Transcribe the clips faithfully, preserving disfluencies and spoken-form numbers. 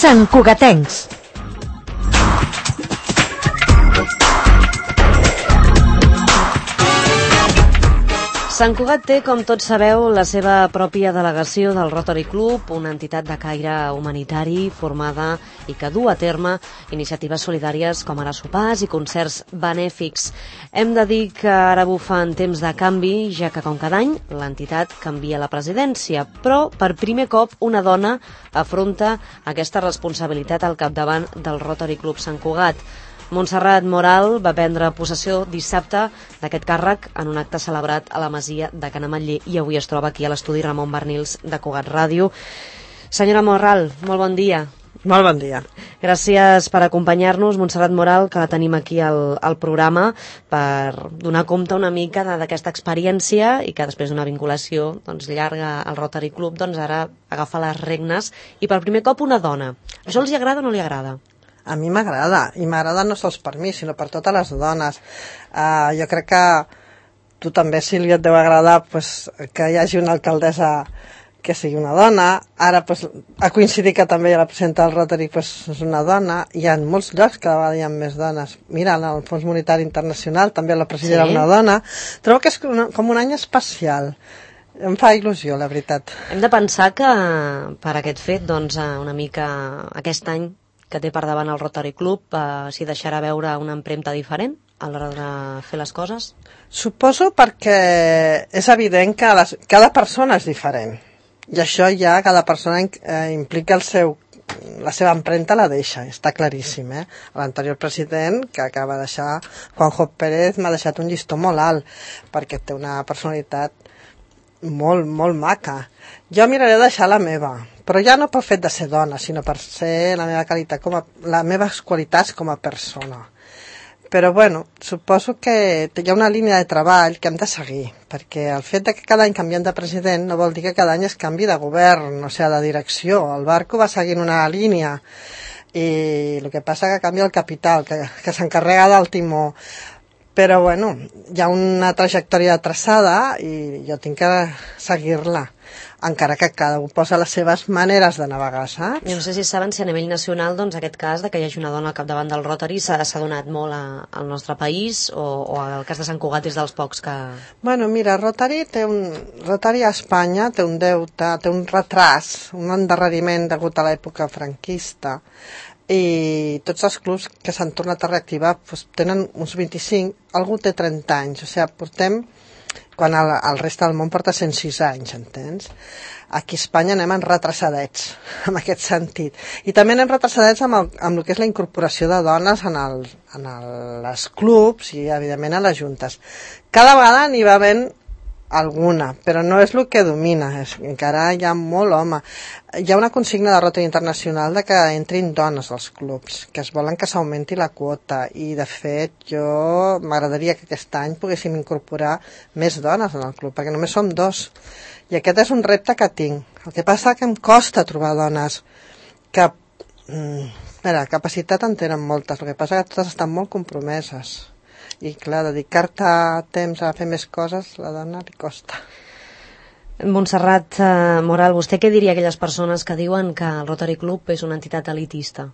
Sant Cugatencs. Sant Cugat té, com tots sabeu, la seva pròpia delegació del Rotary Club, una entitat de caire humanitari formada i que du a terme iniciatives solidàries com ara sopars i concerts benèfics. Hem de dir que ara bufa en temps de canvi, ja que com cada any l'entitat canvia la presidència, però per primer cop una dona afronta aquesta responsabilitat al capdavant del Rotary Club Sant Cugat. Montserrat Moral va prendre possessió dissabte d'aquest càrrec en un acte celebrat a la Masia de Can Ametller i avui es troba aquí a l'estudi Ramon Bernils de Cugat Ràdio. Senyora Moral, molt bon dia. Molt bon dia. Gràcies per acompanyar-nos, Montserrat Moral, que la tenim aquí al, al programa per donar compte una mica d'aquesta experiència i que després d'una vinculació doncs, llarga al Rotary Club doncs ara agafa les regnes i per primer cop una dona. Això els agrada o no li agrada? A mi m'agrada, i m'agrada no sols per mi, sinó per totes les dones. Uh, jo crec que tu també, Sílvia, et deu agradar pues, que hi hagi una alcaldessa que sigui una dona. Ara pues, ha coincidit que també la presidenta del Rotary pues, és una dona. Hi ha molts llocs que cada vegada hi ha més dones. Mira, el Fons Monetari Internacional també la presidenta sí. Una dona. Trobo que és com un any especial. Em fa il·lusió, la veritat. Hem de pensar que per aquest fet, doncs, una mica aquest any que té per davant el Rotary Club, eh, s'hi deixarà veure una empremta diferent a l'hora de fer les coses? Suposo perquè és evident que les, cada persona és diferent. I això ja cada persona eh, implica el seu, la seva empremta la deixa, està claríssim. Eh? L'anterior president, que acaba de deixar, Juanjo Pérez, m'ha deixat un llistó molt alt, perquè té una personalitat molt, molt maca. Jo miraré de deixar la meva, però ja no pel fet de ser dona, sinó per ser la meva qualitat com a, les meves qualitats com a persona. Però bueno, suposo que hi ha una línia de treball que hem de seguir, perquè el fet de que cada any canviem de president no vol dir que cada any es canvi de govern, o sigui, de direcció. El barco va seguint una línia i el que passa que canvia el capital, que, que s'encarrega del timó. Però bueno, hi ha una trajectòria traçada i jo tinc que seguir-la, encara que cada un posa les seves maneres de navegar, saps? Jo no sé si saben si a nivell nacional doncs, aquest cas de que hi hagi una dona al capdavant del Rotary s'ha donat molt a, al nostre país o, o el cas de Sant Cugat és dels pocs que... Bueno, mira, Rotary, té un, Rotary a Espanya té un deute, té un retras, un endarreriment degut a l'època franquista, i tots els clubs que s'han tornat a reactivar doncs, tenen uns vint-i-cinc, algú té trenta anys, o sigui, portem, quan el, el reste del món porta cent sis anys, entens? Aquí a Espanya anem en retrasadets, en aquest sentit. I també anem retrasadets amb el, amb el que és la incorporació de dones en, el, en el, els clubs i, evidentment, a les juntes. Cada vegada n'hi va havent alguna, però no és el que domina, és, encara hi ha molt home. Hi ha una consigna de Rotary Internacional de que entrin dones als clubs, que es volen que s'augmenti la quota, i de fet jo m'agradaria que aquest any poguéssim incorporar més dones en el club, perquè només som dos, i aquest és un repte que tinc. El que passa que em costa trobar dones que, mm, mira, capacitat en tenen moltes, el que passa que totes estan molt compromeses. I clar, dedicar-te temps a fer més coses, la dona li costa. Montserrat eh, Moral, vostè què diria a aquelles persones que diuen que el Rotary Club és una entitat elitista?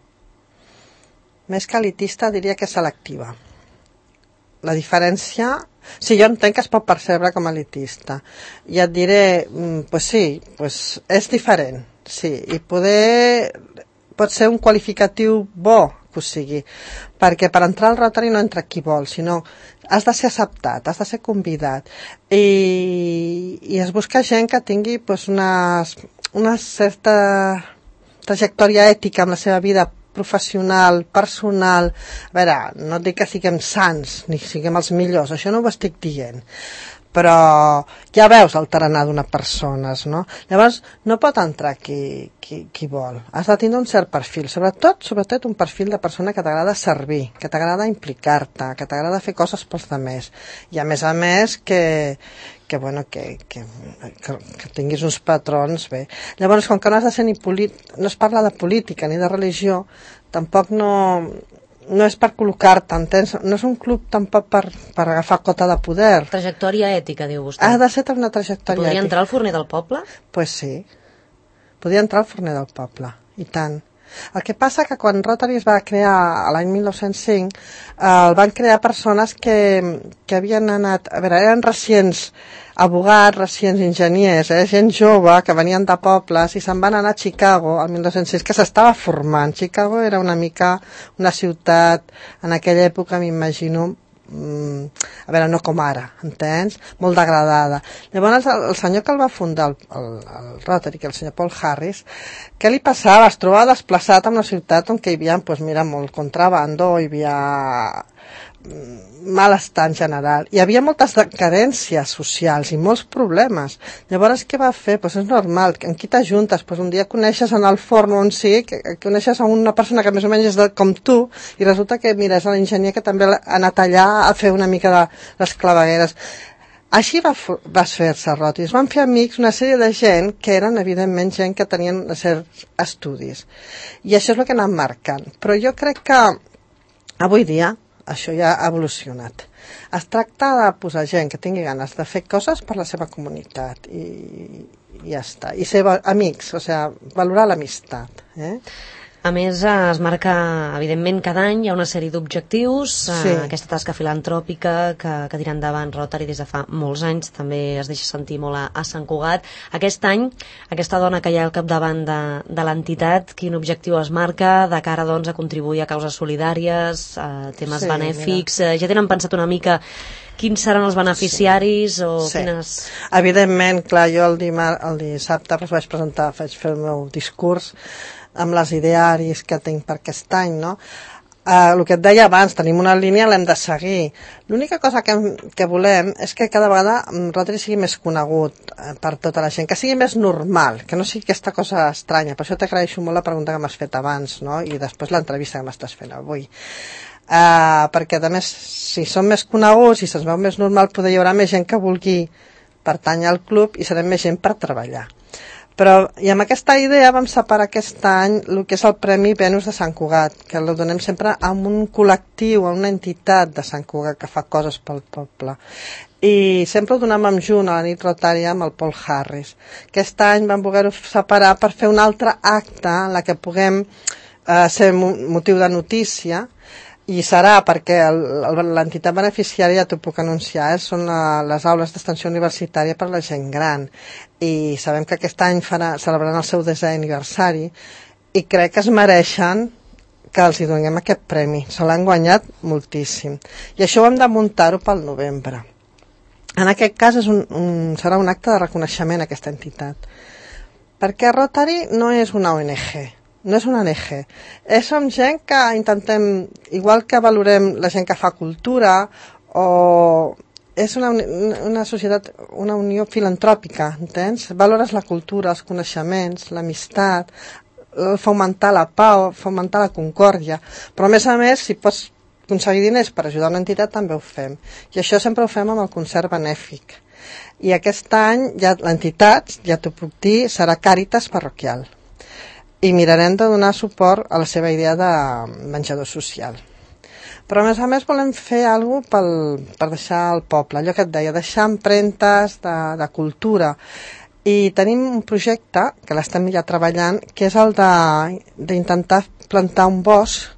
Més que elitista diria que és selectiva. La diferència... Sí, jo entenc que es pot percebre com a elitista. I et diré, pues sí, pues és diferent, sí, i poder... pot ser un qualificatiu bo que ho sigui, perquè per entrar al Rotary no entra qui vol, sinó has de ser acceptat, has de ser convidat, i, i es busca gent que tingui pues, una, una certa trajectòria ètica en la seva vida professional, personal. A veure, no et dic que siguem sants ni siguem els millors, això no ho estic dient, però ja veus el tarannà d'una persona, no? Llavors no pot entrar qui, qui, qui vol, has de tindre un cert perfil, sobretot, sobretot un perfil de persona que t'agrada servir, que t'agrada implicar-te, que t'agrada fer coses pels altres, i a més a més que, que, bueno, que, que, que, que tinguis uns patrons bé. Llavors, com que no has de ser ni polític, no es parla de política ni de religió, tampoc no... no és per col·locar-te, entens? No és un club tampoc per, per agafar cota de poder. Trajectòria ètica, diu vostè. Ha de ser una trajectòria Podria ètica. entrar al forner del poble? Pues sí. Podria entrar al forner del poble, i tant. El que passa que quan Rotary es va crear a l'any mil nou-cents cinc, eh, el van crear persones que, que havien anat, a veure, eren recents abogats, recents enginyers, eh, gent jove que venien de pobles i se'n van anar a Chicago al mil nou-cents sis, que s'estava formant. Chicago era una mica una ciutat, en aquella època m'imagino, a veure, no com ara, entens? Molt degradada. Llavors, el, el senyor que el va fundar, el, el, el Rotary, el senyor Paul Harris, què li passava? Es trobava desplaçat en una ciutat on hi havia, doncs mira, molt contrabando, hi havia malestar en general. Hi havia moltes carències socials i molts problemes. Llavors, què va fer? Pues és normal. Amb qui t'ajuntes? Pues un dia coneixes en el forn on sí, que, que coneixes a una persona que més o menys és de, com tu, i resulta que, mira, és l'enginyer que també ha anat allà a fer una mica de les clavegueres. Així va, va fer-se Rotary. Es van fer amics una sèrie de gent que eren, evidentment, gent que tenien certs estudis. I això és el que anàvem marcant. Però jo crec que avui dia això ja ha evolucionat. Es tracta de posar gent que tingui ganes de fer coses per la seva comunitat i, i ja està. I ser amics, o sigui, valorar l'amistat. Eh? A més, es marca, evidentment, cada any hi ha una sèrie d'objectius, sí. eh, aquesta tasca filantròpica que, que tira endavant Rotary des de fa molts anys, també es deixa sentir molt a, a Sant Cugat. Aquest any, aquesta dona que hi ha al capdavant de, de l'entitat, quin objectiu es marca de cara doncs, a contribuir a causes solidàries, a temes sí, benèfics? Mira. Ja tenen pensat una mica quins seran els beneficiaris? Sí. O sí. Quines... Evidentment, clar, jo el, dimar, el dissabte vaig presentar, vaig fer el meu discurs amb les idearis que tinc per aquest any, no? Uh, el que et deia abans, tenim una línia, l'hem de seguir. L'única cosa que, que volem és que cada vegada Rotary sigui més conegut uh, per tota la gent, que sigui més normal, que no sigui aquesta cosa estranya. Per això t'agraeixo molt la pregunta que m'has fet abans, no? I després l'entrevista que m'estàs fent avui. Uh, perquè, a més, si som més coneguts i se'ns veu més normal, poder hi haurà més gent que vulgui pertànyer al club i serem més gent per treballar. Però, i amb aquesta idea vam separar aquest any el que és el Premi Venus de Sant Cugat, que el donem sempre a un col·lectiu, a una entitat de Sant Cugat que fa coses pel poble. I sempre ho donem amb junt a la nit rotària amb el Paul Harris. Aquest any vam voler-ho separar per fer un altre acte en la que puguem eh, ser motiu de notícia, i serà perquè l'entitat beneficiària, ja t'ho puc anunciar, eh, són la, les aules d'extensió universitària per a la gent gran. I sabem que aquest any farà, celebraran el seu desè aniversari i crec que es mereixen que els hi donem aquest premi. Se l'han guanyat moltíssim. I això ho hem de muntar-ho pel novembre. En aquest cas és un, un, serà un acte de reconeixement a aquesta entitat. Perquè Rotary no és una O N G. No és una O N G. És som gent que intentem, igual que valorem la gent que fa cultura, o és una, una societat, una unió filantròpica, entens? Valores la cultura, els coneixements, l'amistat, fomentar la pau, fomentar la concòrdia. Però a més a més, si pots aconseguir diners per ajudar una entitat, també ho fem. I això sempre ho fem amb el concert benèfic. I aquest any ja l'entitat, ja t'ho puc dir, serà Càritas Parroquial. I mirarem de donar suport a la seva idea de menjador social. Però a més a més volem fer alguna cosa pel, per deixar al poble, allò que et deia, deixar empremtes de, de cultura. I tenim un projecte, que l'estem ja treballant, que és el d'intentar plantar un bosc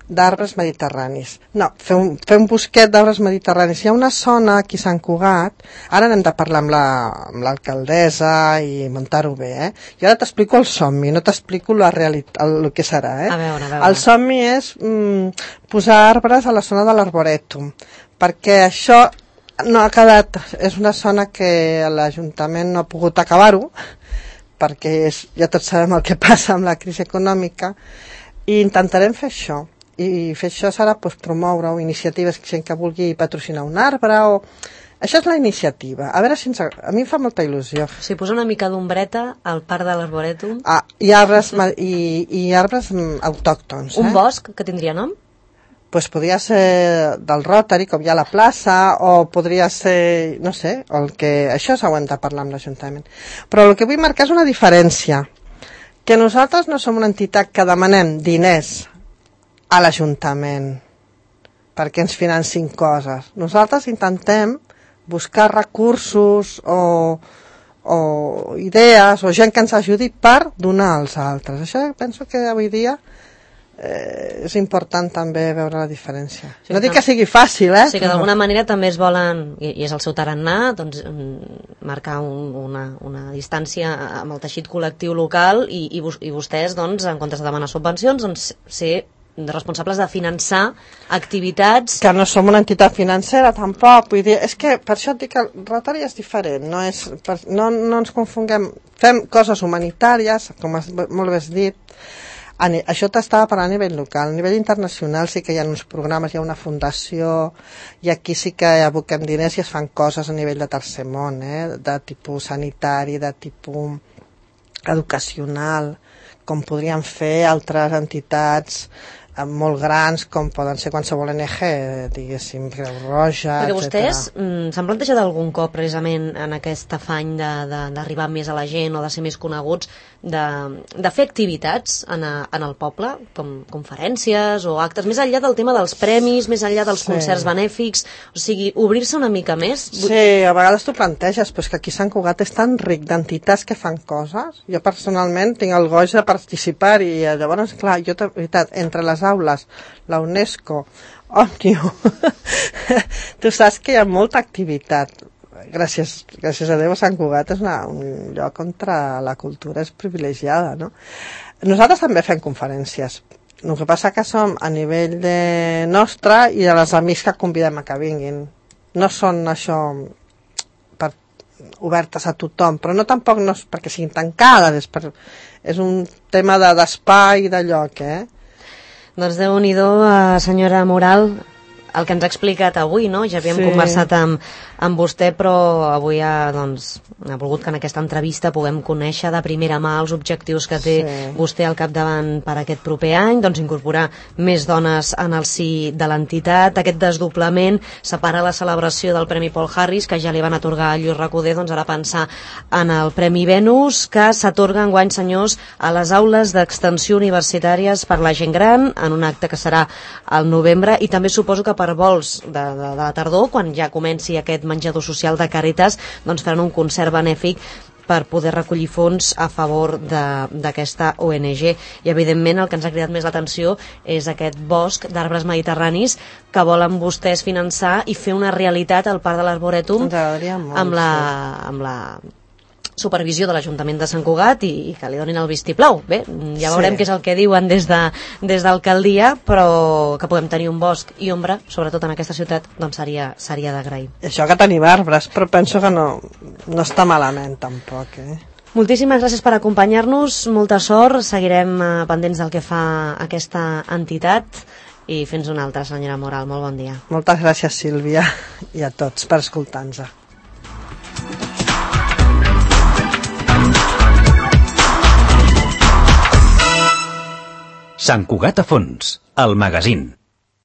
d'arbres mediterranis. No, fer un, fer un bosquet d'arbres mediterranis. Hi ha una zona aquí a Sant Cugat, ara n'hem de parlar amb l'alcaldessa la, i muntar-ho bé, eh? I ara t'explico el somni, no t'explico la realitat, el, el que serà, eh? A veure, a veure. El somni és mm, posar arbres a la zona de l'Arborètum, perquè això no ha quedat, és una zona que l'Ajuntament no ha pogut acabar-ho, perquè és, ja tots sabem el que passa amb la crisi econòmica, i intentarem fer això. I fer això serà doncs, promoure o iniciatives que gent que vulgui patrocinar un arbre o... Això és la iniciativa. A veure si ens... A mi em fa molta il·lusió. O sigui, posar una mica d'ombreta al parc de l'Arborètum. Ah, i arbres, i, i arbres autòctons. Un eh? bosc que tindria nom? Pues podria ser del Rotary, com hi ha a la plaça, o podria ser, no sé, el que... Això s'ho hem de parlar amb l'Ajuntament. Però el que vull marcar és una diferència. Que nosaltres no som una entitat que demanem diners a l'Ajuntament perquè ens financin coses. Nosaltres intentem buscar recursos o, o idees o gent que ens ajudi per donar als altres. Això penso que avui dia eh, és important també veure la diferència. Sí, no dic que sigui fàcil, eh? Sí, que d'alguna manera també es volen, i, i és el seu tarannà, doncs, marcar un, una, una distància amb el teixit col·lectiu local i, i, i vostès, doncs, en comptes de demanar subvencions, doncs, ser responsables de finançar activitats... Que no som una entitat financera, tampoc. Vull dir, és que per això et dic que el Rotary és diferent. No, és, per, no, no ens confonguem. Fem coses humanitàries, com has, molt bé has dit. A, això t'estava parlant a nivell local. A nivell internacional sí que hi ha uns programes, hi ha una fundació, i aquí sí que aboquem diners i es fan coses a nivell de tercer món, eh? De tipus sanitari, de tipus educacional, com podrien fer altres entitats molt grans, com poden ser qualsevol O N G, diguéssim, Creu Roja, perquè vostès mm, s'han plantejat algun cop precisament en aquest afany d'arribar més a la gent o de ser més coneguts, de, de fer activitats en, a, en el poble, com conferències o actes, més enllà del tema dels premis, més enllà dels sí. concerts benèfics, o sigui, obrir-se una mica més? Sí, a vegades t'ho planteges, però és que aquí Sant Cugat és tan ric d'entitats que fan coses. Jo personalment tinc el goig de participar i llavors, clar, jo, de veritat, entre les aules, la UNESCO, Òmnium, tu saps que hi ha molta activitat. Gràcies, gràcies a Déu, Sant Cugat és una, un lloc on la cultura és privilegiada, no? Nosaltres també fem conferències. El que passa que som a nivell de nostre i de les amics que convidem a que vinguin. No són això per, obertes a tothom, però no tampoc no és perquè siguin tancades, és, per, és un tema d'espai i de lloc, eh? Doncs Déu-n'hi-do, senyora Moral, el que ens ha explicat avui, no? Ja havíem sí. conversat amb, amb vostè, però avui ha, doncs, ha volgut que en aquesta entrevista puguem conèixer de primera mà els objectius que té sí. vostè al capdavant per aquest proper any, doncs incorporar més dones en el si de l'entitat. Aquest desdoblament separa la celebració del Premi Paul Harris, que ja li van atorgar a Lluís Recoder, doncs ara pensar en el Premi Venus, que s'atorga enguany, senyors, a les aules d'extensió universitàries per la gent gran, en un acte que serà al novembre, i també suposo que per vols de, de, de la tardor, quan ja comenci aquest menjador social de Càritas, doncs faran un concert benèfic per poder recollir fons a favor d'aquesta O N G. I evidentment el que ens ha cridat més l'atenció és aquest bosc d'arbres mediterranis que volen vostès finançar i fer una realitat al Parc de l'Arborètum amb la, amb la supervisió de l'Ajuntament de Sant Cugat i, i que li donin el vistiplau. Bé, ja veurem sí. què és el que diuen des de des d'alcaldia, però que puguem tenir un bosc i ombra, sobretot en aquesta ciutat, doncs seria, seria d'agrair. Això que tenim arbres, però penso que no, no està malament tampoc, eh? Moltíssimes gràcies per acompanyar-nos, molta sort, seguirem eh, pendents del que fa aquesta entitat i fins una altra, senyora Moral, molt bon dia. Moltes gràcies, Sílvia, i a tots per escoltar-nos. Sant Cugat a fons, el magazín.